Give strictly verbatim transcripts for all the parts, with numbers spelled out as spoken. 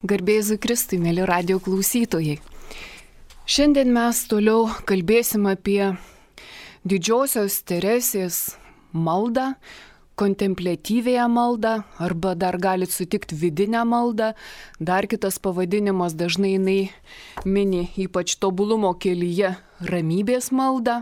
Garbė Jėzui Kristui, mėly radijo klausytojai. Šiandien mes toliau kalbėsim apie didžiosios Teresės maldą, kontempliatyvėją maldą, arba dar galit sutikti vidinę maldą. Dar kitas pavadinimas dažnai jinai mini ypač tobulumo kelyje ramybės maldą,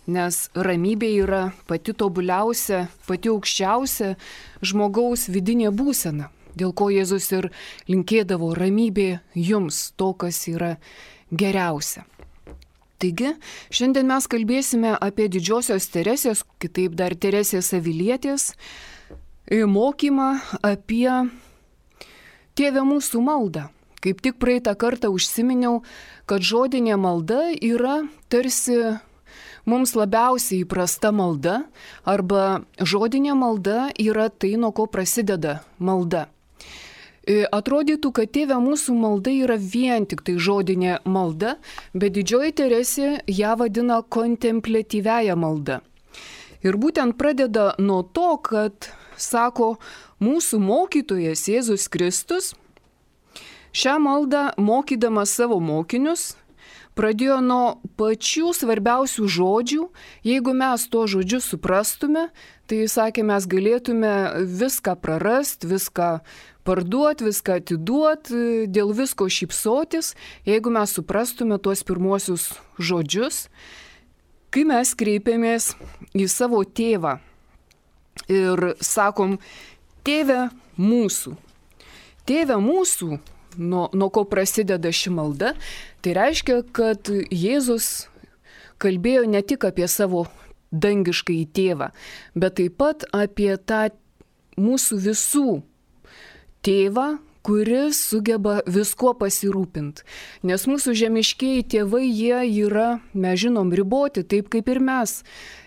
nes ramybė yra pati tobuliausia, pati aukščiausia žmogaus vidinė būsena. Dėl ko Jėzus ir linkėdavo ramybė jums, to, kas yra geriausia. Taigi, šiandien mes kalbėsime apie didžiosios Teresės, kitaip dar Teresės Avilietės, mokymą apie Tėve mūsų maldą. Kaip tik praeitą kartą užsiminiau, kad žodinė malda yra tarsi mums labiausiai įprasta malda, arba žodinė malda yra tai, nuo ko prasideda malda. Atrodytų, kad Tėve mūsų malda yra vien tik tai žodinė malda, bet didžioji Teresė ją vadina kontempliatyviąja malda. Ir būtent pradeda nuo to, kad, sako, mūsų mokytojas Jėzus Kristus šią maldą, mokydamas savo mokinius, pradėjo nuo pačių svarbiausių žodžių. Jeigu mes to žodžius suprastume, tai, sakė, mes galėtume viską prarasti, viską parduoti, viską atiduoti, dėl visko šypsotis, jeigu mes suprastume tuos pirmuosius žodžius, kai mes kreipiamės į savo tėvą ir sakom, Tėve mūsų. Tėve mūsų, nuo, nuo ko prasideda ši malda, tai reiškia, kad Jėzus kalbėjo ne tik apie savo dangiškąjį tėvą, bet taip pat apie tą mūsų visų tėvą, kuris sugeba viskuo pasirūpinti. Nes mūsų žemiškieji tėvai, jie yra, mes žinom, riboti, taip kaip ir mes.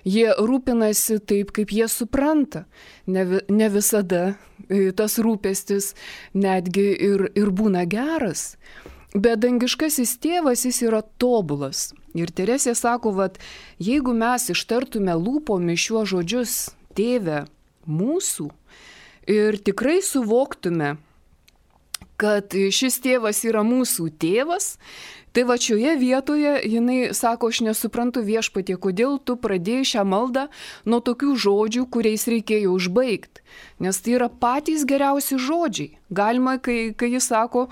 Jie rūpinasi taip, kaip jie supranta. Ne, ne visada tas rūpestis netgi ir, ir būna geras. Bet dangiškasis tėvas, jis yra tobulas. Ir Teresė sako, vat, jeigu mes ištartume lūpomis šiuos žodžius Tėve mūsų, ir tikrai suvoktume, kad šis tėvas yra mūsų tėvas, tai va šioje vietoje jinai sako, aš nesuprantu Viešpatie, kodėl tu pradėjai šią maldą nuo tokių žodžių, kuriais reikėjo užbaigti. Nes tai yra patys geriausi žodžiai. Galima, kai, kai jis sako,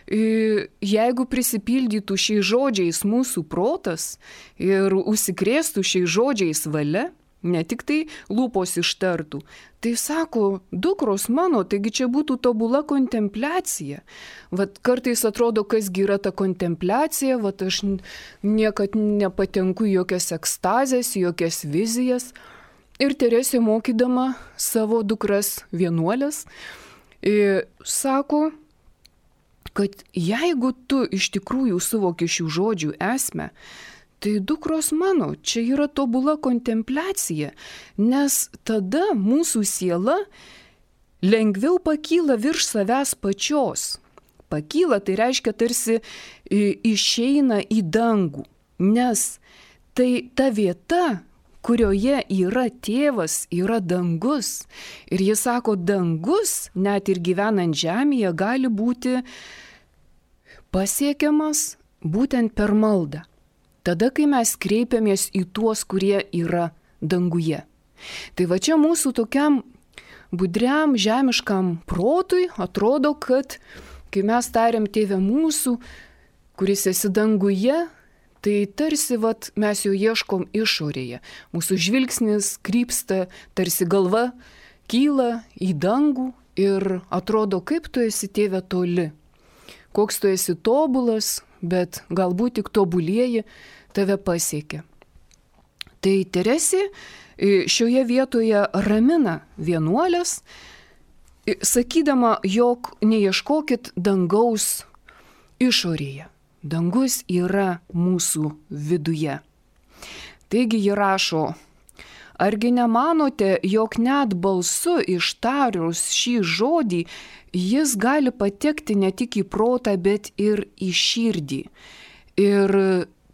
jeigu prisipildytų šiais žodžiais mūsų protas ir užsikrėstų šiais žodžiais valia, ne tik tai lūpos ištartų. Tai sako, dukros mano, taigi čia būtų tobula kontempliacija. Vat kartais atrodo, kasgi yra ta kontempliacija, vat aš niekad nepatenku į jokias ekstazės, jokias vizijas. Ir Teresė, mokydama savo dukras vienuolės, sako, kad jeigu tu iš tikrųjų suvoki šių žodžių esmę, tai dukros mano, čia yra tobula kontempliacija, nes tada mūsų siela lengviau pakyla virš savęs pačios. Pakyla, tai reiškia tarsi išeina į dangų, nes tai ta vieta, kurioje yra tėvas, yra dangus. Ir jis sako, dangus, net ir gyvenant žemėje, gali būti pasiekiamas būtent per maldą. Tada, kai mes kreipiamės į tuos, kurie yra danguje. Tai va čia mūsų tokiam budriam, žemiškam protui atrodo, kad kai mes tariam Tėve mūsų, kuris esi danguje, tai tarsi vat, mes jo ieškom išorėje. Mūsų žvilgsnis krypsta, tarsi galva kyla į dangų ir atrodo, kaip tu esi Tėve toli. Koks tu esi tobulas, bet galbūt tik tobulieji tave pasiekia. Tai Teresė šioje vietoje ramina vienuolės, sakydama, jog neieškokit dangaus išorėje. Dangus yra mūsų viduje. Taigi ji rašo, argi nemanote, jog net balsu ištarius šį žodį, jis gali patekti ne tik į protą, bet ir į širdį. Ir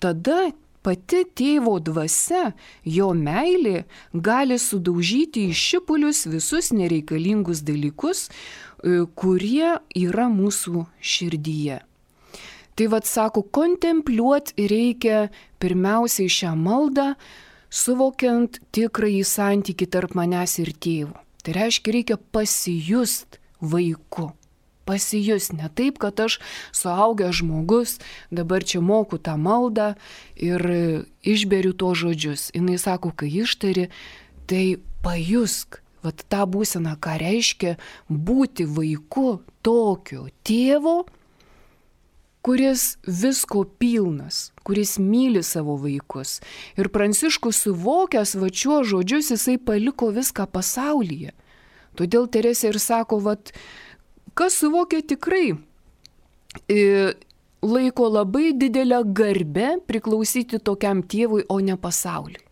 tada pati tėvo dvasia, jo meilė, gali sudaužyti į šipulius visus nereikalingus dalykus, kurie yra mūsų širdyje. Tai vad sako, kontempliuoti reikia pirmiausiai šią maldą, suvokiant tikrąjį santykį tarp manęs ir tėvo. Tai reiškia, reikia pasijust vaiku. Pasijust ne taip, kad aš suaugęs žmogus, dabar čia moku tą maldą ir išberiu to žodžius. Jis sako, kai ištari, tai pajusk. Vat tą būseną, ką reiškia būti vaiku tokio tėvo, kuris visko pilnas, kuris myli savo vaikus. Ir Pranciškus suvokęs va šiuos žodžius, jisai paliko viską pasaulyje. Todėl Teresė ir sako, vat, kas suvokia tikrai, laiko labai didelę garbę priklausyti tokiam tėvui, o ne pasauliui.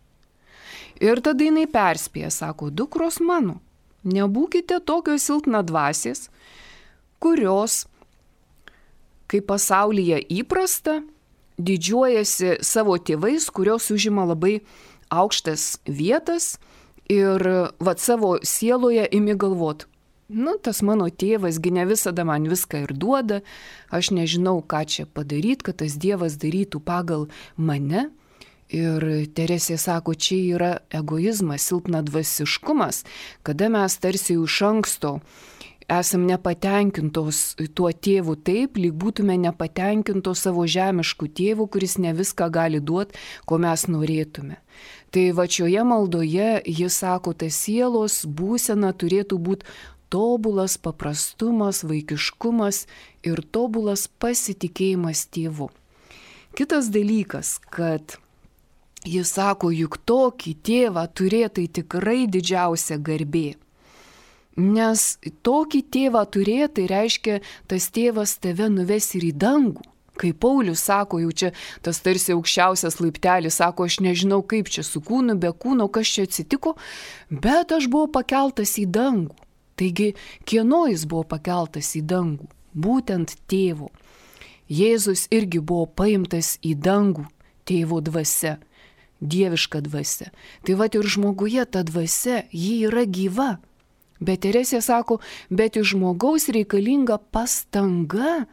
Ir tada jinai perspėja, sako, dukros mano, nebūkite tokios silpnadvasės, kurios, kaip pasaulyje įprasta, didžiuojasi savo tėvais, kurios užima labai aukštas vietas ir vat savo sieloje imi galvot, nu, tas mano tėvas gi ne visada man viską ir duoda, aš nežinau, ką čia padaryti, kad tas Dievas darytų pagal mane. Ir Teresė sako, čia yra egoizmas, silpnadvasiškumas, kada mes tarsi iš anksto esam nepatenkintos tuo tėvu taip, lyg būtume nepatenkintos savo žemiškų tėvų, kuris ne viską gali duoti, ko mes norėtume. Tai va šioje maldoje jis sako, tas sielos būsena turėtų būti tobulas paprastumas, vaikiškumas ir tobulas pasitikėjimas tėvu. Kitas dalykas, kad jis sako, juk tokį tėvą turėtai tikrai didžiausia garbė. Nes tokį tėvą turėti, tai reiškia, tas tėvas tave nuves ir į dangų. Kai Paulius sako, jau čia tas tarsi aukščiausias laiptelis, sako, aš nežinau kaip čia su kūnu, be kūno, kas čia atsitiko, bet aš buvau pakeltas į dangų. Taigi, kieno jis buvo pakeltas į dangų? Būtent tėvo. Jėzus irgi buvo paimtas į dangų tėvo dvasia, dieviška dvasia. Tai va ir žmoguje ta dvasia, ji yra gyva. Bet Teresė sako, bet iš žmogaus reikalinga pastanga,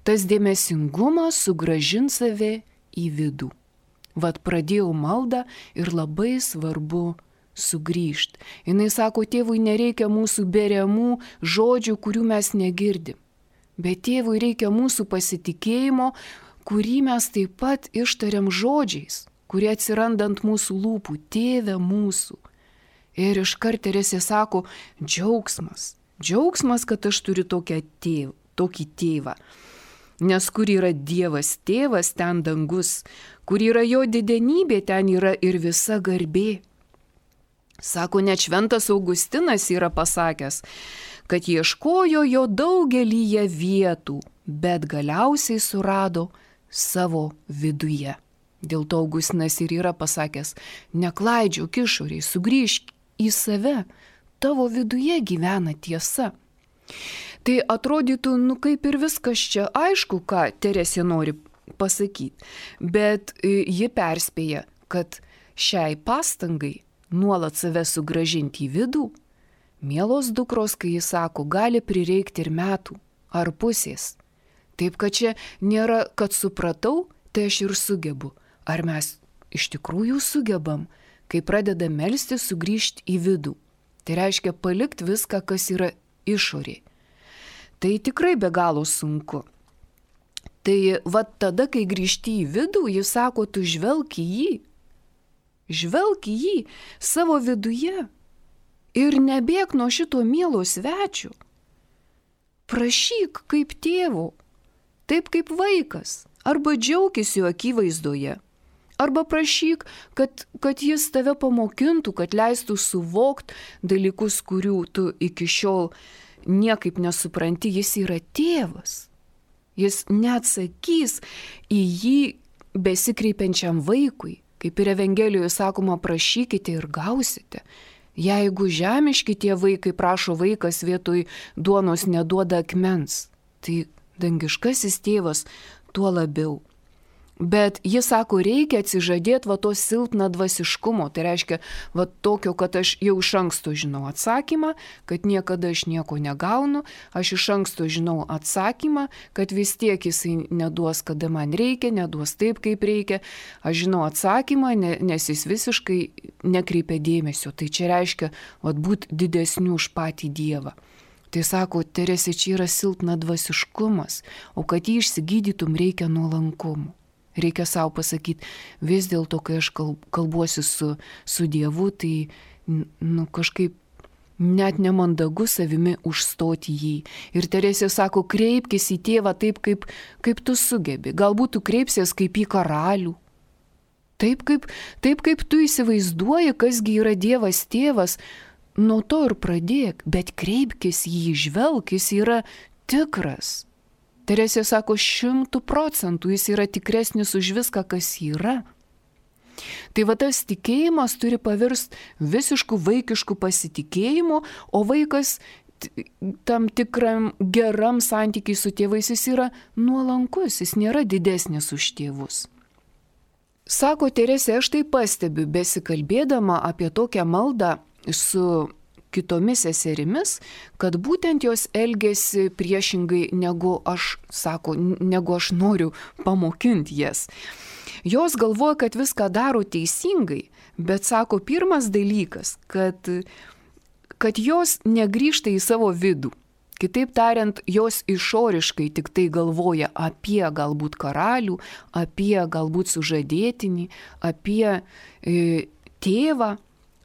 tas dėmesingumas sugrąžint save į vidų. Vat pradėjau maldą ir labai svarbu sugrįžti. Jis sako, tėvui nereikia mūsų beriamų žodžių, kurių mes negirdim. Bet tėvui reikia mūsų pasitikėjimo, kurį mes taip pat ištariam žodžiais, kurie atsiranda ant mūsų lūpų, tėve mūsų. Ir iškart Teresė sako, džiaugsmas, džiaugsmas, kad aš turiu tokią tėv, tokį tėvą. Nes kur yra Dievas tėvas, ten dangus, kur yra jo didenybė, ten yra ir visa garbė. Sako, net šventas Augustinas yra pasakęs, kad ieškojo jo daugelyje vietų, bet galiausiai surado savo viduje. Dėl to Augustinas ir yra pasakęs, neklaidžiok išoriai, sugrįžk į save, tavo viduje gyvena tiesa. Tai atrodytų, nu kaip ir viskas čia aišku, ką Teresė nori pasakyti, bet ji perspėja, kad šiai pastangai nuolat save sugrąžinti į vidų, mielos dukros, kai jis sako, gali prireikti ir metų ar pusės. Taip, kad čia nėra, kad supratau, tai aš ir sugebu. Ar mes iš tikrųjų sugebam, kai pradedam melstis, sugrįžti į vidų? Tai reiškia palikti viską, kas yra išorėje. Tai tikrai be galo sunku. Tai va tada, kai grįžti į vidų, jis sako, tu žvelk į jį. Žvelk į jį savo viduje ir nebėk nuo šito mielo svečio. Prašyk kaip tėvo, taip kaip vaikas, arba džiaukis jo akivaizdoje. Arba prašyk, kad, kad jis tave pamokintų, kad leistų suvokti dalykus, kurių tu iki šiol niekaip nesupranti. Jis yra tėvas. Jis neatsakys į jį besikreipiančiam vaikui. Kaip ir Evangelijoje sakoma, prašykite ir gausite. Jeigu žemiški tie vaikai prašo, vaikas vietoj duonos neduoda akmens, tai dangiškasis tėvas tuo labiau. Bet jis sako, reikia atsižadėti va to silpną dvasiškumo. Tai reiškia, va tokio, kad aš jau iš anksto žinau atsakymą, kad niekada aš nieko negaunu, aš iš anksto žinau atsakymą, kad vis tiek jisai neduos, kada man reikia, neduos taip, kaip reikia. Aš žinau atsakymą, nes jis visiškai nekreipia dėmesio. Tai čia reiškia, va būti didesniu už patį Dievą. Tai sako, Teresė, čia yra silpna dvasiškumas, o kad jį išsigydytum, reikia nuolankumo. Reikia savo pasakyti, vis dėlto, kai aš kalbuosi su, su Dievu, tai nu, kažkaip net nemandagu savimi užstoti jį. Ir Teresė sako, kreipkis į tėvą taip, kaip, kaip tu sugebi. Galbūt tu kreipsies kaip į karalių. Taip kaip, taip, kaip tu įsivaizduoji, kasgi yra Dievas tėvas, nuo to ir pradėk, bet kreipkis jį, žvelk, jis yra tikras. Teresė sako, šimtų procentų jis yra tikresnis už viską, kas yra. Tai va tas tikėjimas turi pavirsti visiškų vaikiškų pasitikėjimų, o vaikas tam tikram geram santykiai su tėvais jis yra nuolankus, jis nėra didesnis už tėvus. Sako Teresė, aš tai pastebiu, besikalbėdama apie tokią maldą su kitomis seserimis, kad būtent jos elgėsi priešingai negu aš, sako, negu aš noriu pamokinti jas. Jos galvoja, kad viską daro teisingai, bet sako, pirmas dalykas, kad, kad jos negrįžta į savo vidų. Kitaip tariant, jos išoriškai tik tai galvoja apie galbūt karalių, apie galbūt sužadėtinį, apie e, tėvą,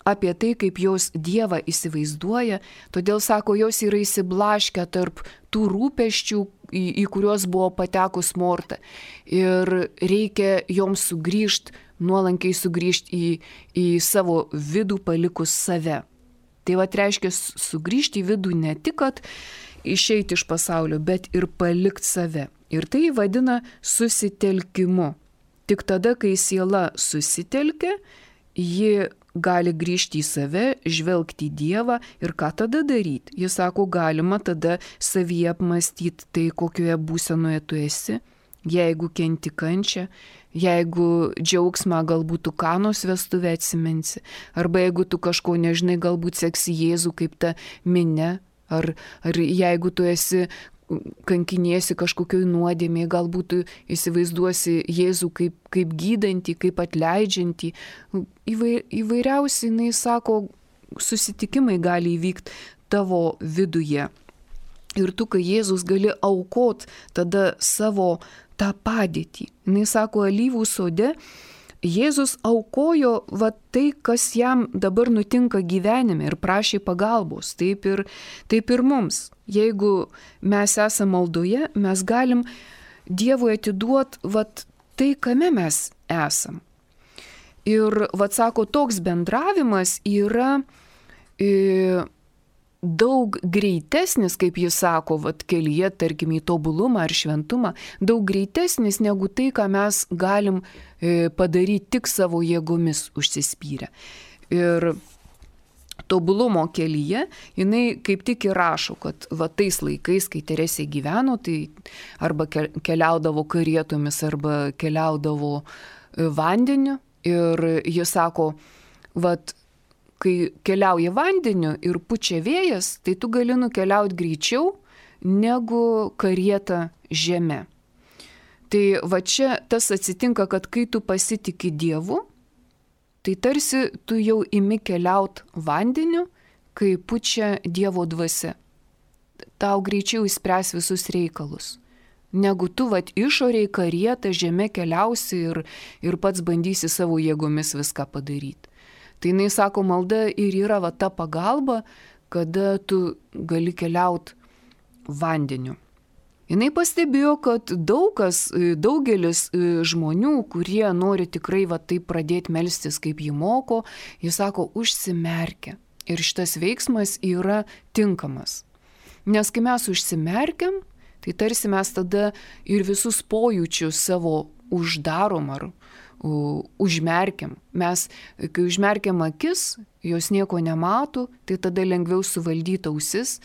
apie tai, kaip jos Dievą įsivaizduoja, todėl, sako, jos yra įsiblaškę tarp tų rūpesčių, į, į kuriuos buvo patekus Morta. Ir reikia joms sugrįžti, nuolankiai sugrįžti į, į savo vidų palikus save. Tai va reiškia sugrįžti į vidų ne tik, kad išeiti iš pasaulio, bet ir palikti save. Ir tai vadina susitelkimu. Tik tada, kai siela susitelkia, ji gali grįžti į save, žvelgti į Dievą ir ką tada daryti. Jis sako, galima tada savyje apmastyti tai, kokioje būsenoje tu esi, jeigu kenti kančią, jeigu džiaugsmą galbūt tu Kanos vestuvę atsiminsi, arba jeigu tu kažko nežinai, galbūt seksi Jėzų kaip ta minia, ar, ar jeigu tu esi kankiniesi kažkokioj nuodėmėje, galbūt tu įsivaizduosi Jėzų kaip, kaip gydantį, kaip atleidžiantį. Įvair, įvairiausiai, jinai sako, susitikimai gali įvykti tavo viduje. Ir tu, kai Jėzus gali aukot tada savo tą padėtį. Jinai sako, alyvų sode Jėzus aukojo va tai, kas jam dabar nutinka gyvenime ir prašė pagalbos. Taip ir, taip ir mums. Jeigu mes esame maldoje, mes galim Dievui atiduoti va tai, kame mes esam. Ir va sako, toks bendravimas yra e, daug greitesnis, kaip jis sako, vat kelyje, tarkim, į tobulumą ar šventumą, daug greitesnis negu tai, ką mes galim e, padaryti tik savo jėgomis užsispyrę. Ir tobulumo kelyje jinai kaip tik ir rašo, kad va tais laikais, kai Teresė gyveno, tai arba keliaudavo karietomis, arba keliaudavo vandeniu. Ir jis sako, vat kai keliauji vandeniu ir pučia vėjas, tai tu gali nukeliauti greičiau negu karieta žeme. Tai va čia tas atsitinka, kad kai tu pasitiki Dievu, tai tarsi tu jau imi keliauti vandeniu, kai pučia Dievo dvasia. Tau greičiau išspręs visus reikalus, negu tu vat išoriai karieta žeme keliausi ir, ir pats bandysi savo jėgomis viską padaryti. Tai jinai sako, malda ir yra va ta pagalba, kada tu gali keliauti vandeniu. Jinai pastebėjo, kad daug kas, daugelis žmonių, kurie nori tikrai va taip pradėti melstis, kaip jį moko, jis sako, užsimerkia. Ir šitas veiksmas yra tinkamas. Nes kai mes užsimerkiam, tai tarsi mes tada ir visus pojūčius savo uždarom ar užmerkiam. Mes, kai užmerkiam akis, jos nieko nemato, tai tada lengviau suvaldyti ausis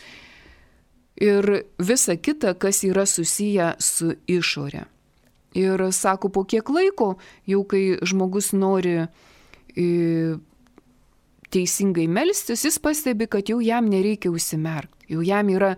ir visa kita, kas yra susiję su išorė. Ir sako, po kiek laiko, jau kai žmogus nori teisingai melstis, jis pastebi, kad jau jam nereikia užsimerkti, jau jam yra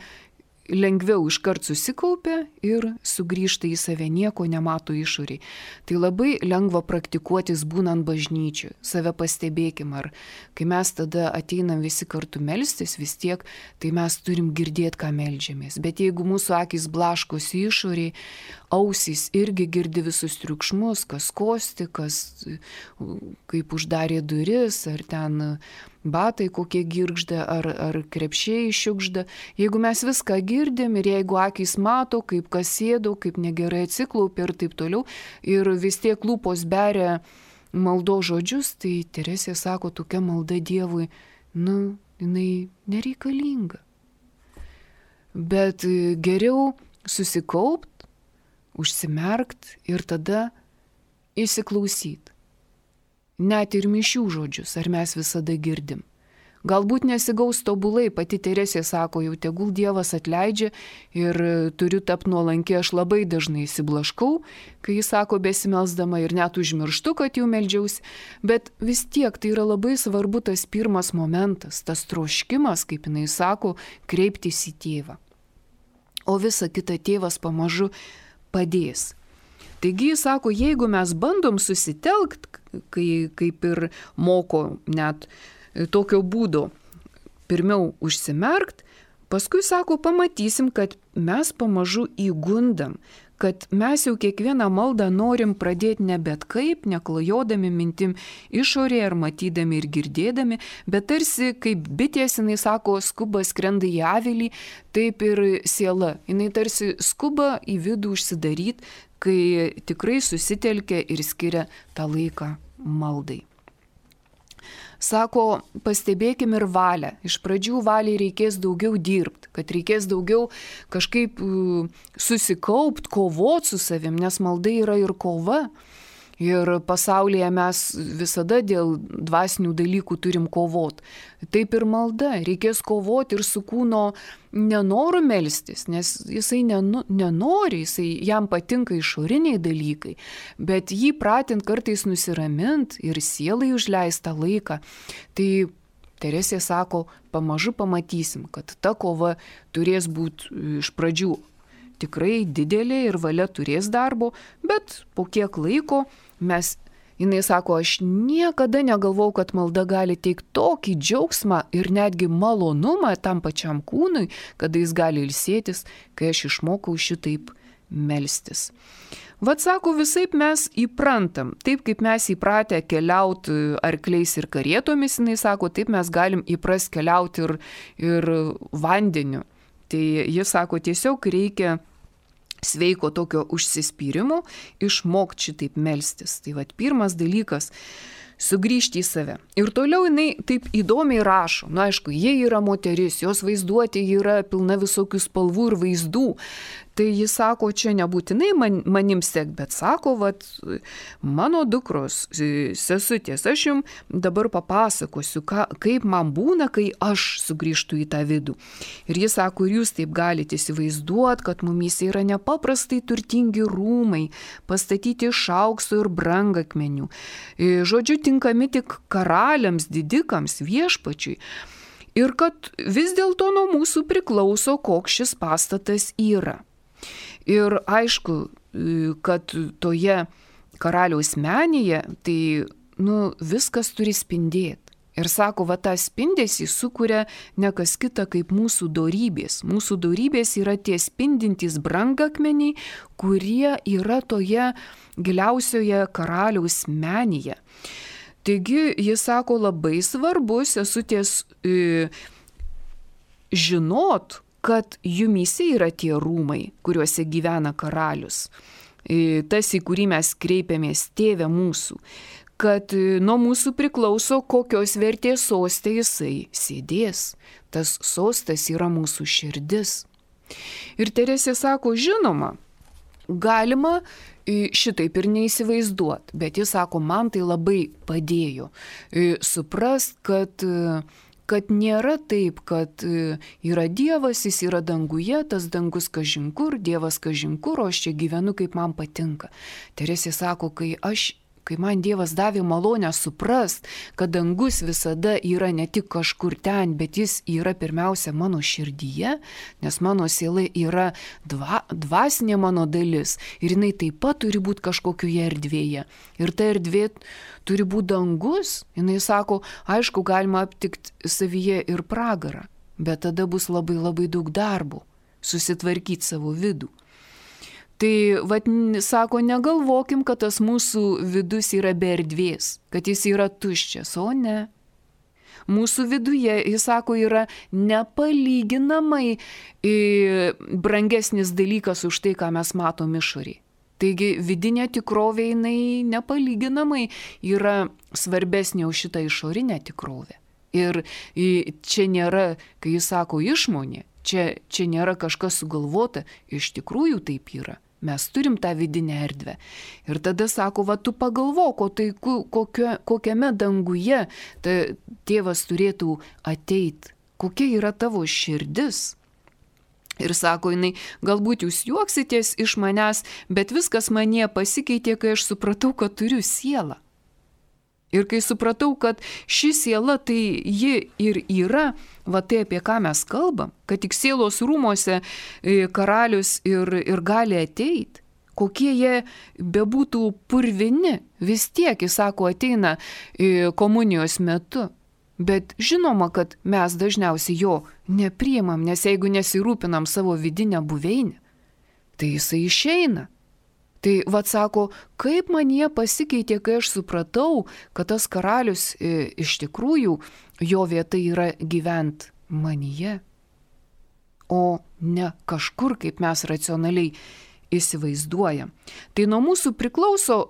lengviau iškart susikaupia ir sugrįžta į save, nieko nemato išoriai. Tai labai lengva praktikuotis būnant bažnyčioje. Save pastebėkim, ar kai mes tada ateinam visi kartu melstis, vis tiek, tai mes turim girdėti, ką meldžiamės. Bet jeigu mūsų akys blaškosi išoriai, ausys irgi girdi visus triukšmus, kas kosti, kas kaip uždarė duris, ar ten batai kokie girgžda, ar, ar krepšiai šiukžda. Jeigu mes viską girdim ir jeigu akys mato, kaip kas sėdo, kaip negerai atsiklaupia ir taip toliau, ir vis tiek lūpos beria maldo žodžius, tai Teresė sako, tokia malda Dievui, nu, jinai nereikalinga. Bet geriau susikaupt, užsimerkt ir tada įsiklausyt. Net ir mišių žodžius, ar mes visada girdim. Galbūt nesigaus tobulai, pati Teresė sako, jau tegul Dievas atleidžia ir turiu tapti nuolanki, aš labai dažnai įsiblaškau, kai jis sako besimelsdama ir net užmirštu, kad jau meldžiausi, bet vis tiek tai yra labai svarbu tas pirmas momentas, tas troškimas, kaip jinai sako, kreiptis į tėvą. O visa kita tėvas pamažu padės. Taigi jis sako, jeigu mes bandom susitelkt, kai, kaip ir moko net tokio būdo, pirmiau užsimerkt, paskui sako, pamatysim, kad mes pamažu įgundam, kad mes jau kiekvieną maldą norim pradėti ne bet kaip, neklajodami mintim išorėje ar matydami ir girdėdami, bet tarsi kaip bitės, jinai sako, skuba skrenda į avilį, taip ir siela. Jinai tarsi skuba į vidų užsidaryti, kai tikrai susitelkia ir skiria tą laiką maldai. Sako, pastebėkim ir valią. Iš pradžių valiai reikės daugiau dirbti, kad reikės daugiau kažkaip susikaupt, kovot su savim, nes malda yra ir kova. Ir pasaulyje mes visada dėl dvasinių dalykų turim kovot. Taip ir malda. Reikės kovoti ir su kūno nenoru melstis, nes jisai nenori, jisai, jam patinka išoriniai dalykai, bet jį pratint kartais nusiramint ir sielai užleistą laiką. Tai Teresė sako, pamažu pamatysim, kad ta kova turės būti iš pradžių tikrai didelė ir valia turės darbo, bet po kiek laiko mes, jinai sako, aš niekada negalvau, kad malda gali teikti tokį džiaugsmą ir netgi malonumą tam pačiam kūnui, kada jis gali ilsėtis, kai aš išmokau šitaip melstis. Vat sako, visaip mes įprantam, taip kaip mes įpratę keliauti arkliais ir karietomis, jinai sako, taip mes galim įprast keliauti ir, ir vandeniu. Tai jis sako, tiesiog reikia sveiko tokio užsispyrimo, išmokti šitaip melstis. Tai vat pirmas dalykas, sugrįžti į save. Ir toliau jinai taip įdomiai rašo. Na, aišku, jie yra moteris, jos vaizduotė yra pilna visokių spalvų ir vaizdų. Tai jis sako, čia nebūtinai man, manim sek, bet sako, vat, mano dukros, sesutės, aš jums dabar papasakosiu, ką, kaip man būna, kai aš sugrįžtu į tą vidų. Ir jis sako, ir jūs taip galite įsivaizduoti, kad mumyse yra nepaprastai turtingi rūmai, pastatyti iš aukso ir brangakmenių. Žodžiu, tinkami tik karaliams, didikams, viešpačiui. Ir kad vis dėlto nuo mūsų priklauso, koks šis pastatas yra. Ir aišku, kad toje karaliaus menėje, tai nu, viskas turi spindėti. Ir sako, va tą spindesį sukuria ne kas kita kaip mūsų dorybės. Mūsų dorybės yra tie spindintys brangakmeniai, kurie yra toje giliausioje karaliaus menėje. Taigi, jis sako, labai svarbu sesutės e, žinot, kad jumyse yra tie rūmai, kuriuose gyvena karalius. E, tas, į kurį mes kreipiamės, tėve mūsų. Kad nuo mūsų priklauso, kokios vertės soste jisai sėdės. Tas sostas yra mūsų širdis. Ir Teresė sako, žinoma, galima šitaip ir neįsivaizduot, bet jis sako, man tai labai padėjo suprast, kad kad nėra taip, kad yra Dievas, jis yra danguje, tas dangus kažin kur, Dievas kažin kur, o aš čia gyvenu, kaip man patinka. Teresė sako, kai aš Kai man Dievas davė malonę suprast, kad dangus visada yra ne tik kažkur ten, bet jis yra pirmiausia mano širdyje, nes mano siela yra dva, dvasinė mano dalis ir jinai taip pat turi būti kažkokioje erdvėje. Ir ta erdvė turi būti dangus. Jinai sako, aišku, galima aptikti savyje ir pragarą, bet tada bus labai labai daug darbo susitvarkyti savo vidų. Tai, vat, sako, negalvokim, kad tas mūsų vidus yra be erdvės, kad jis yra tuščias, o ne. Mūsų viduje, jis sako, yra nepalyginamai brangesnis dalykas už tai, ką mes matom išorėje. Taigi vidinė tikrovė, jinai nepalyginamai yra svarbesnė už šitą išorinę tikrovę. Ir čia nėra, kai jis sako išmonė, čia, čia nėra kažkas sugalvota, iš tikrųjų taip yra. Mes turim tą vidinę erdvę. Ir tada sako, va, tu pagalvok, o tai kokio, kokiame danguje ta, tėvas turėtų ateit, kokia yra tavo širdis. Ir sako jinai, galbūt jūs juoksitės iš manęs, bet viskas manie pasikeitė, kai aš supratau, kad turiu sielą. Ir kai supratau, kad ši siela, tai ji ir yra, va tai apie ką mes kalbam, kad tik sielos rūmose karalius ir, ir gali ateiti, kokie jie bebūtų purvini, vis tiek, jis sako, ateina komunijos metu. Bet žinoma, kad mes dažniausiai jo nepriimam, nes jeigu nesirūpinam savo vidinę buveinę, tai jisai išeina. Tai, vat sako, kaip man jie pasikeitė, kai aš supratau, kad tas karalius e, iš tikrųjų jo vieta yra gyvent manyje, o ne kažkur, kaip mes racionaliai įsivaizduojam. Tai nuo mūsų priklauso,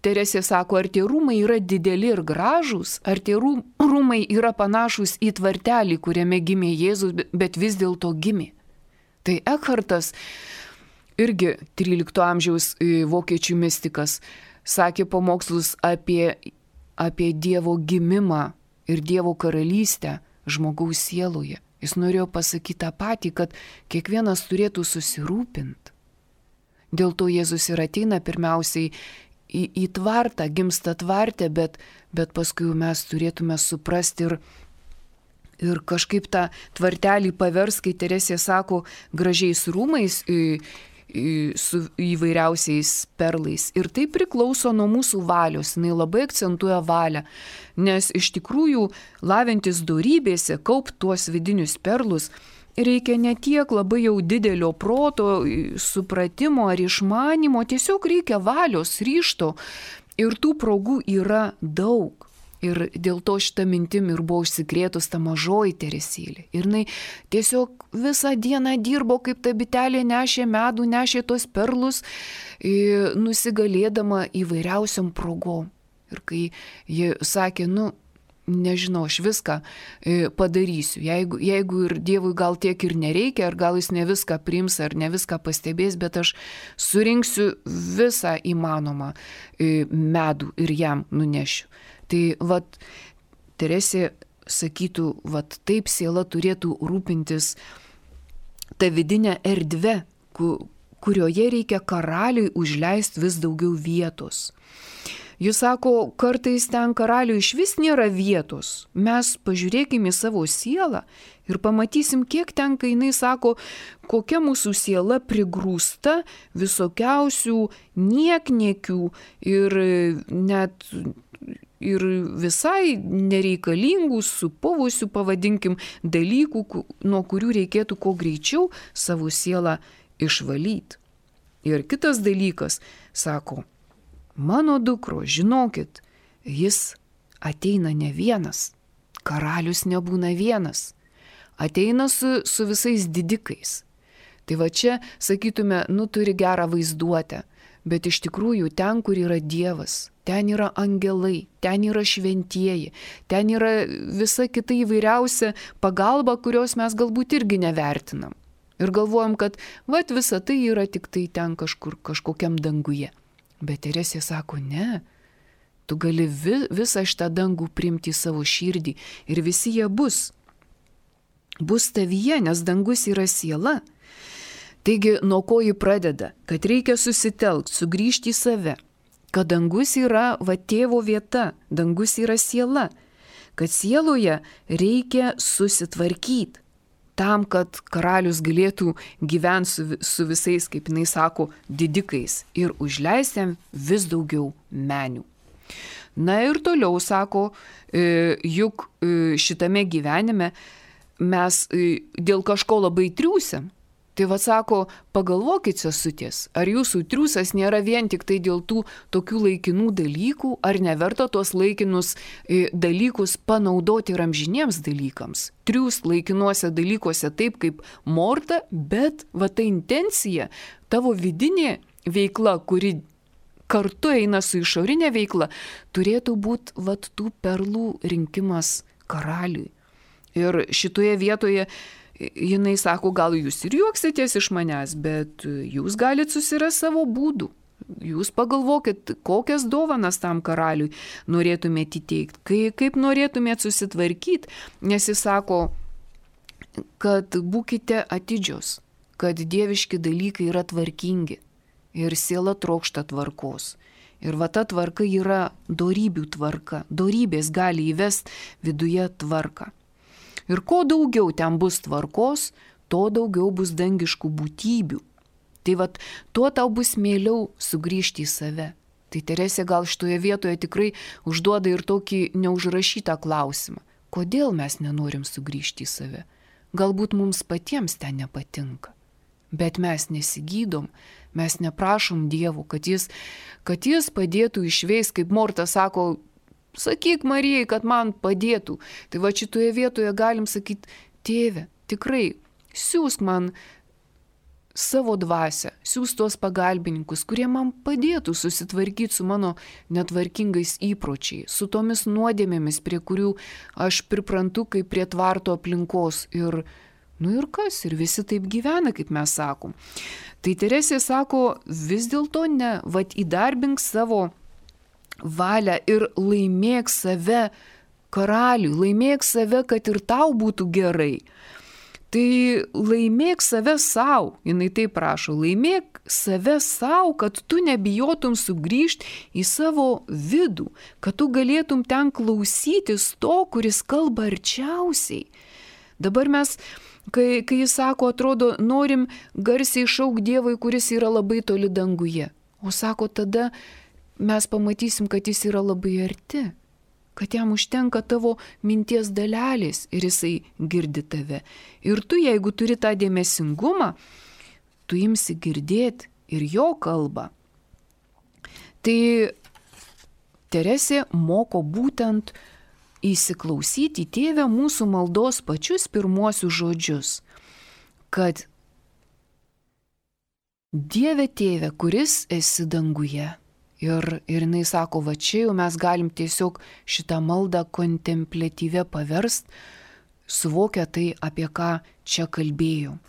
Teresė sako, ar tie rūmai yra dideli ir gražūs, ar tie rūmai yra panašūs į tvartelį, kuriame gimė Jėzus, bet vis dėlto gimė. Tai Ekhartas, irgi trylikto amžiaus vokiečių mistikas, sakė pamokslus apie, apie Dievo gimimą ir Dievo karalystę žmogaus sieloje. Jis norėjo pasakyti tą patį, kad kiekvienas turėtų susirūpinti. Dėl to Jėzus ir ateina pirmiausiai į, į tvartą, gimsta tvarte, bet, bet paskui mes turėtume suprasti ir Ir kažkaip tą tvartelį pavers, kai Teresė sako, gražiais rūmais į, į, su įvairiausiais perlais. Ir tai priklauso nuo mūsų valios, jinai labai akcentuoja valią. Nes iš tikrųjų lavintis dorybėse, kaupt tuos vidinius perlus, reikia ne tiek labai jau didelio proto, supratimo ar išmanimo, tiesiog reikia valios, ryžto. Ir tų progų yra daug. Ir dėl to šitą mintim ir buvo užsikrėtus ta mažoji Teresėlė. Ir jinai tiesiog visą dieną dirbo, kaip ta bitelė nešė medų, nešė tos perlus, nusigalėdama įvairiausiam progom. Ir kai ji sakė, nu, nežinau, aš viską padarysiu. Jeigu, jeigu ir Dievui gal tiek ir nereikia, ar gal jis ne viską priims, ar ne viską pastebės, bet aš surinksiu visą įmanomą medų ir jam nunešiu. Tai vat Teresė sakytų, vat taip siela turėtų rūpintis tą vidinę erdvę, kurioje reikia karaliui užleisti vis daugiau vietos. Jis sako, kartais ten karaliui iš vis nėra vietos. Mes pažiūrėkime į savo sielą ir pamatysim, kiek ten, kai jinai sako, kokia mūsų siela prigrūsta visokiausių niekniekių ir net ir visai nereikalingų, supuvusių, pavadinkim, dalykų, nuo kurių reikėtų kuo greičiau savo sielą išvalyti. Ir kitas dalykas, sako, mano dukro, žinokit, jis ateina ne vienas, karalius nebūna vienas, ateina su, su visais didikais. Tai va čia, sakytume, nu turi gerą vaizduotę, bet iš tikrųjų ten, kur yra Dievas, ten yra angelai, ten yra šventieji, ten yra visa kita įvairiausia pagalba, kurios mes galbūt irgi nevertinam. Ir galvojam, kad vat visa tai yra tik tai ten kažkur, kažkokiam danguje. Bet Teresė sako, ne, Tu gali vi, visą šitą dangų priimti į savo širdį ir visi jie bus. Bus tavyje, nes dangus yra siela. Taigi, nuo ko ji pradeda? Kad reikia susitelkti, sugrįžti į save. Kad dangus yra va tėvo vieta, dangus yra siela. Kad sieloje reikia susitvarkyti. Tam, kad karalius galėtų gyventi su, su visais, kaip jinai sako, didikais ir užleisti jam vis daugiau menių. Na ir toliau sako, juk šitame gyvenime mes dėl kažko labai triūsiam. Tai va sako, pagalvokit, sesutės, ar jūsų triūsas nėra vien tik tai dėl tų tokių laikinų dalykų, ar neverta tuos laikinus dalykus panaudoti ir amžiniems dalykams. Triūs laikinuose dalykuose taip kaip morta, bet va ta intencija, tavo vidinė veikla, kuri kartu eina su išorinė veikla, turėtų būti va tų perlų rinkimas karaliui. Ir šitoje vietoje jinai sako, gal jūs ir juoksitės iš manęs, bet jūs galite susirasti savo būdų. Jūs pagalvokit, kokias dovanas tam karaliui norėtumėte įteikti, kaip, kaip norėtumėte susitvarkyti, nes jis sako, kad būkite atidžios, kad dieviški dalykai yra tvarkingi ir siela trokšta tvarkos. Ir va ta tvarka yra dorybių tvarka, dorybės gali įvesti viduje tvarką. Ir kuo daugiau ten bus tvarkos, to daugiau bus dangiškų būtybių. Tai vat, tuo tau bus mieliau sugrįžti į save. Tai Teresė gal šitoje vietoje tikrai užduoda ir tokį neužrašytą klausimą. Kodėl mes nenorim sugrįžti į save? Galbūt mums patiems ten nepatinka. Bet mes nesigydom, mes neprašom Dievo, kad jis, kad jis padėtų išveis, kaip Morta sako, sakyk Marijai, kad man padėtų. Tai va šitoje vietoje galim sakyti, tėve, tikrai, siūsk man savo dvasią, siūsk tuos pagalbininkus, kurie man padėtų susitvarkyti su mano netvarkingais įpročiais, su tomis nuodėmėmis, prie kurių aš priprantu kaip prie tvarto aplinkos. Ir, nu ir kas, ir visi taip gyvena, kaip mes sakom. Tai Teresė sako, vis dėlto ne, vat įdarbink savo valią ir laimėk save karaliui, laimėk save, kad ir tau būtų gerai. Tai laimėk save savo, jinai taip prašo, laimėk save savo, kad tu nebijotum sugrįžti į savo vidų, kad tu galėtum ten klausytis to, kuris kalba arčiausiai. Dabar mes, kai, kai jis sako, atrodo, norim garsiai šaukti Dievui, kuris yra labai toli danguje. O sako, tada mes pamatysim, kad jis yra labai arti, kad jam užtenka tavo minties dalelės ir jisai girdi tave. Ir tu, jeigu turi tą dėmesingumą, tu imsi girdėti ir jo kalbą. Tai Teresė moko būtent įsiklausyti į tėvę mūsų maldos pačius pirmuosius žodžius, kad Dieve tėve, kuris esi danguje. Ir, ir jinai sako, va čia jau mes galim tiesiog šitą maldą kontempliatyvę paverst, suvokia tai, apie ką čia kalbėjau.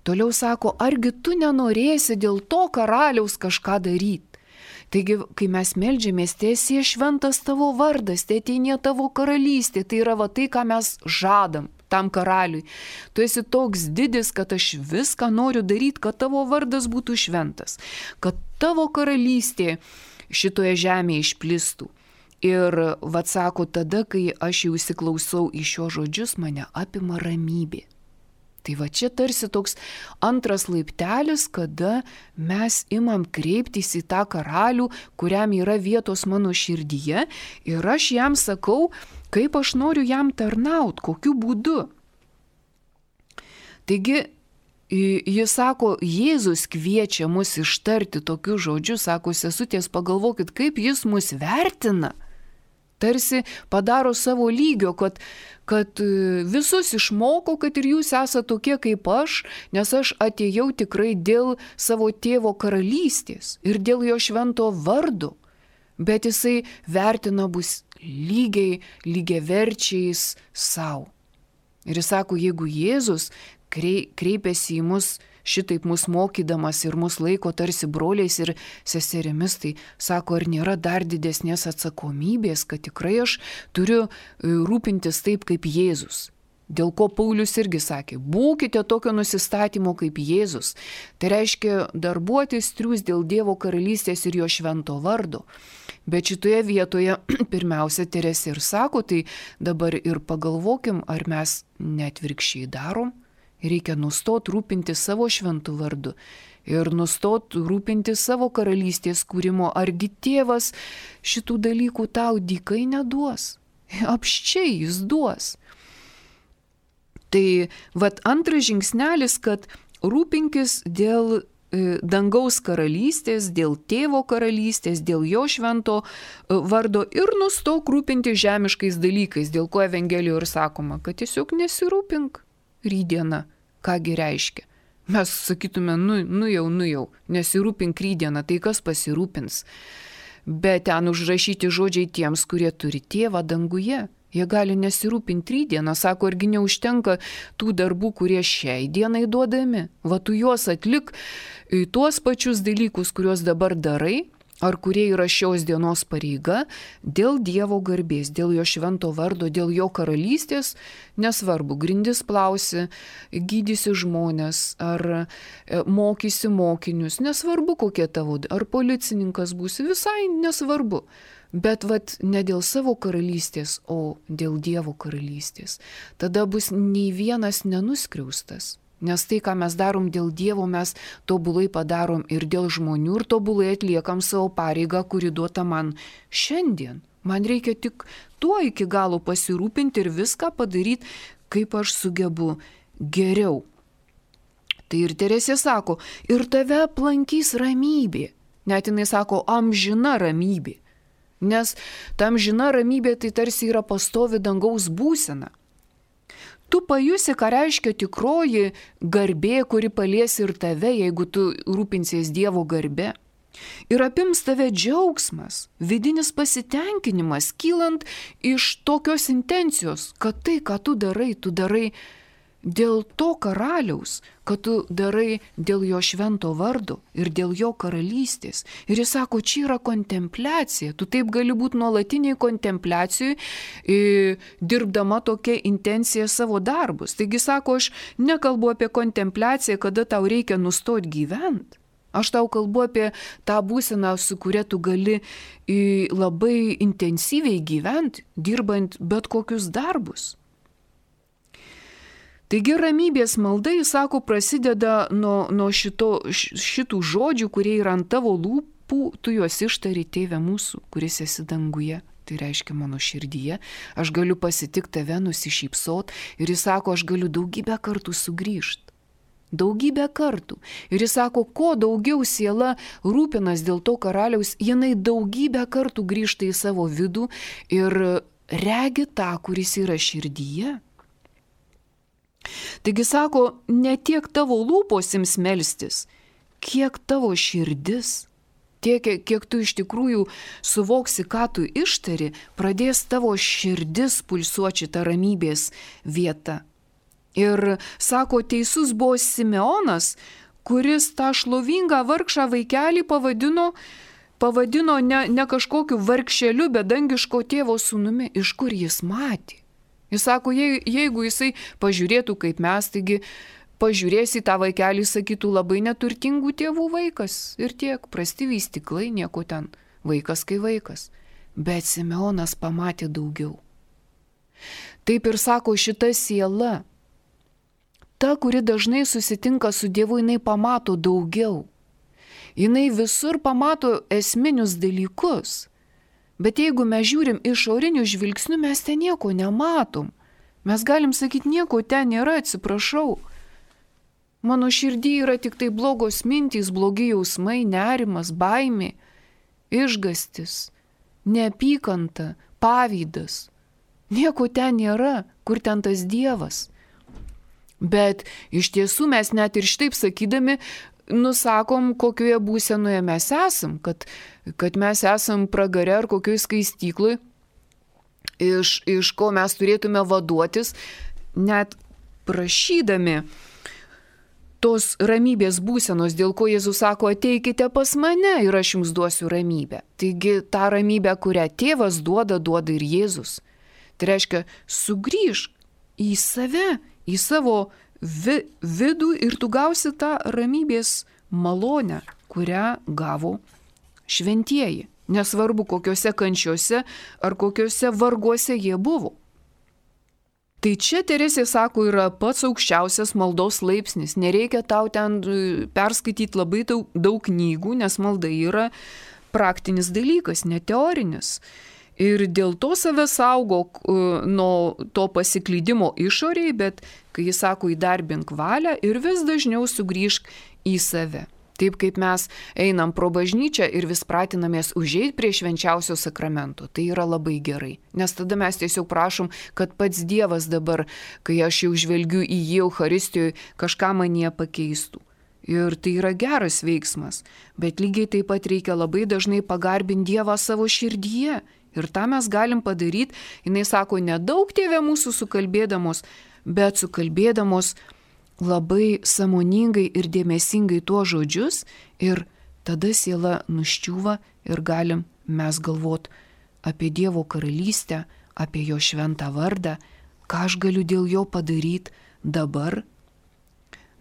Toliau sako, argi tu nenorėsi dėl to karaliaus kažką daryti? Taigi, kai mes meldžiamės, tiesie šventas tavo vardas, tėteinė tavo karalystė, tai yra va tai, ką mes žadam tam karaliui. Tu esi toks didis, kad aš viską noriu daryti, kad tavo vardas būtų šventas, kad tavo karalystė šitoje žemėje išplistų. Ir vat sako, tada, kai aš jau įsiklausau į šios žodžius, mane apima ramybė. Tai va čia tarsi toks antras laiptelis, kada mes imam kreiptis į tą karalių, kuriam yra vietos mano širdyje, ir aš jam sakau, kaip aš noriu jam tarnaut, kokiu būdu. Taigi, jis sako, Jėzus kviečia mus ištarti tokius žodžius, sako, sesutės, pagalvokit, kaip jis mus vertina. Tarsi padaro savo lygio, kad, kad visus išmoko, kad ir jūs esate tokie kaip aš, nes aš atėjau tikrai dėl savo tėvo karalystės ir dėl jo švento vardo. Bet jisai vertina bus lygiai, lygiaverčiais savo. Ir jis sako, jeigu Jėzus kreipiasi į mus šitaip mus mokydamas ir mus laiko tarsi broliais ir seserimis, tai sako, ar nėra dar didesnės atsakomybės, kad tikrai aš turiu rūpintis taip kaip Jėzus. Dėl ko Paulius irgi sakė, būkite tokio nusistatymo kaip Jėzus. Tai reiškia darbuotis triūs dėl Dievo karalystės ir jo švento vardo. Bet šitoje vietoje pirmiausia Teresė ir sako, tai dabar ir pagalvokim, ar mes netvirkščiai darom. Reikia nustot rūpinti savo šventų vardu ir nustot rūpinti savo karalystės kūrimo. Argi tėvas šitų dalykų tau dykai neduos? Apščiai jis duos. Tai vat antras žingsnelis, kad rūpinkis dėl e, dangaus karalystės, dėl tėvo karalystės, dėl jo švento e, vardo ir nustok rūpinti žemiškais dalykais, dėl ko Evangelijoje ir sakoma, kad tiesiog nesirūpink rytdieną, kągi reiškia. Mes sakytume, nu, nu jau, nu jau, nesirūpink rytdieną, tai kas pasirūpins. Bet ten užrašyti žodžiai tiems, kurie turi tėvą danguje. Jie gali nesirūpinti rytdieną, sako, argi neužtenka tų darbų, kurie šiai dienai duodami. Va tu juos atlik tuos pačius dalykus, kuriuos dabar darai, ar kurie yra šios dienos pareiga, dėl Dievo garbės, dėl jo švento vardo, dėl jo karalystės, nesvarbu, grindis plausi, gydysi žmonės, ar mokysi mokinius, nesvarbu kokie tavo, ar policininkas būsi, visai nesvarbu. Bet vat ne dėl savo karalystės, o dėl Dievo karalystės. Tada bus nei vienas nenuskriaustas. Nes tai, ką mes darom dėl Dievo, mes tobulai padarom ir dėl žmonių, ir tobulai atliekam savo pareigą, kuri duota man šiandien. Man reikia tik tuo iki galo pasirūpinti ir viską padaryti, kaip aš sugebu geriau. Tai ir Teresė sako, ir tave aplankys ramybė. Net jinai sako, amžina ramybė. Nes ta amžina ramybė tai tarsi yra pastovi dangaus būsena. Tu pajusi, ką reiškia tikroji garbė, kuri palies ir tave, jeigu tu rūpinsies Dievo garbe. Ir apims tave džiaugsmas, vidinis pasitenkinimas, kylant iš tokios intencijos, kad tai, ką tu darai, tu darai dėl to karaliaus, kad tu darai dėl jo švento vardo ir dėl jo karalystės. Ir jis sako, čia yra kontempliacija. Tu taip gali būti nuolatiniai kontempliacijai, dirbdama tokia intencija savo darbus. Taigi sako, aš nekalbu apie kontempliaciją, kada tau reikia nustoti gyventi. Aš tau kalbu apie tą būseną, su kuria tu gali labai intensyviai gyventi, dirbant bet kokius darbus. Taigi ramybės malda, jis sako, prasideda nuo, nuo šito, šitų žodžių, kurie yra ant tavo lūpų, tu juos ištari, Tėve mūsų, kuris esi danguje. Tai reiškia mano širdyje, aš galiu pasitikti tave, nusišypsot ir jis sako, aš galiu daugybę kartų sugrįžti. Daugybę kartų. Ir jis sako, ko daugiau siela rūpinas dėl to karaliaus, jinai daugybę kartų grįžta į savo vidų ir regi tą, kuris yra širdyje. Taigi sako, ne tiek tavo lūpos ims melstis, kiek tavo širdis, tiek, kiek tu iš tikrųjų suvoksi, ką tu ištari, pradės tavo širdis pulsuoti šitą ramybės vietą. Ir sako, teisus buvo Simeonas, kuris tą šlovingą vargšą vaikelį pavadino, pavadino ne, ne kažkokiu vargšeliu, bet dangiško tėvo sūnumi, iš kur jis matė. Jis sako, je, jeigu jisai pažiūrėtų kaip mes, taigi pažiūrės į tą vaikelį, sakytų, labai neturtingų tėvų vaikas ir tiek, prasti vystyklai, nieko ten, vaikas kai vaikas. Bet Simeonas pamatė daugiau. Taip ir sako, šita siela, ta, kuri dažnai susitinka su Dievu, jinai pamato daugiau. Jinai visur pamato esminius dalykus. Bet jeigu mes žiūrim išorinių žvilgsnių, mes ten nieko nematom. Mes galim sakyti, nieko ten nėra, atsiprašau. Mano širdį yra tik tai blogos mintys, blogi jausmai, nerimas, baimė, išgastis, neapykanta, pavydas. Nieko ten nėra, kur ten tas Dievas. Bet iš tiesų mes net ir šitaip sakydami, nusakom, kokioje būsenoje mes esam, kad, kad mes esam pragare ar kokioj skaistyklui, iš, iš ko mes turėtume vaduotis, net prašydami tos ramybės būsenos, dėl ko Jėzus sako, ateikite pas mane ir aš jums duosiu ramybę. Taigi tą ramybę, kurią tėvas duoda, duoda ir Jėzus. Tai reiškia, sugrįžk į save, į savo vi, vidų ir tu gausi tą ramybės malonę, kurią gavo šventieji. Nesvarbu, kokiuose kančiuose ar kokiuose varguose jie buvo. Tai čia Teresė sako, yra pats aukščiausias maldos laipsnis. Nereikia tau ten perskaityti labai daug, daug knygų, nes malda yra praktinis dalykas, ne teorinis. Ir dėl to save saugok nuo to pasiklydimo išoriai, bet kai jis sako, įdarbink valią ir vis dažniau sugrįžk į save. Taip kaip mes einam pro bažnyčią ir vis pratinamės užeiti prie švenčiausio sakramento. Tai yra labai gerai. Nes tada mes tiesiog prašom, kad pats Dievas dabar, kai aš jau žvelgiu į jį Eucharistijoje, kažką manyje pakeistų. Ir tai yra geras veiksmas. Bet lygiai taip pat reikia labai dažnai pagarbinti Dievą savo širdyje. Ir tą mes galim padaryti. Jis sako, nedaug tėve mūsų sukalbėdamos, bet sukalbėdamos labai sąmoningai ir dėmesingai tuos žodžius ir tada siela nuščiūva ir galim mes galvot apie Dievo karalystę, apie jo šventą vardą, ką aš galiu dėl jo padaryti dabar.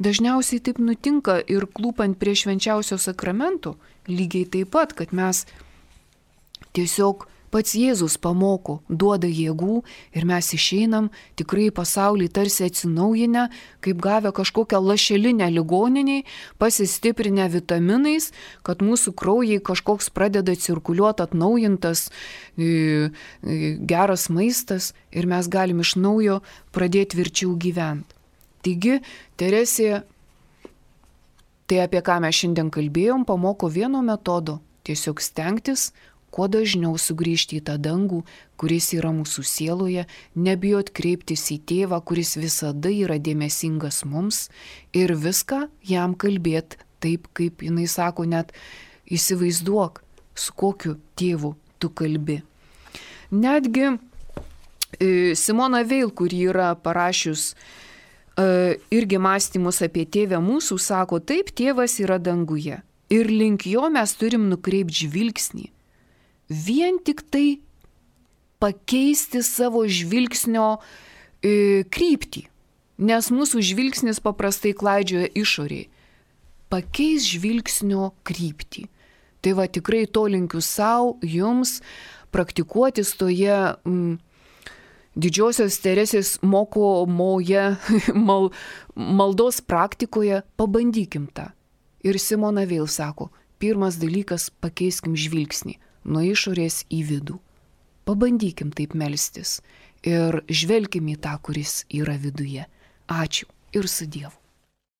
Dažniausiai taip nutinka ir klūpant prie švenčiausio sakramento, lygiai taip pat, kad mes tiesiog pats Jėzus pamoko, duoda jėgų ir mes išeinam tikrai pasaulį tarsi atsinaujinę, kaip gavę kažkokią lašelinę ligoniniai, pasistiprinę vitaminais, kad mūsų kraujai kažkoks pradeda cirkuliuoti atnaujintas geras maistas ir mes galim iš naujo pradėti tvirčiau gyventi. Taigi, Teresė, tai apie ką mes šiandien kalbėjom, pamoko vieno metodo - tiesiog stengtis kuo dažniau sugrįžti į tą dangų, kuris yra mūsų sieloje, nebijot kreiptis į tėvą, kuris visada yra dėmesingas mums ir viską jam kalbėti taip, kaip jinai sako, net įsivaizduok, su kokiu tėvu tu kalbi. Netgi e, Simona Veil, kuri yra parašius e, irgi mąstymus apie tėvę mūsų, sako, taip, tėvas yra danguje ir link jo mes turim nukreipti žvilgsnį. Vien tik tai pakeisti savo žvilgsnio e, kryptį, nes mūsų žvilgsnis paprastai klaidžioja išoriai. Pakeis žvilgsnio kryptį. Tai va tikrai to linkiu savo, jums praktikuotis toje mm, Didžiosios Teresės mokomoje mal, maldos praktikoje, pabandykim tą. Ir Simona Veil sako, pirmas dalykas - pakeiskim žvilgsnį. Nuo išorės į vidų. Pabandykim taip melstis ir žvelkim į tą, kuris yra viduje. Ačiū ir su Dievu.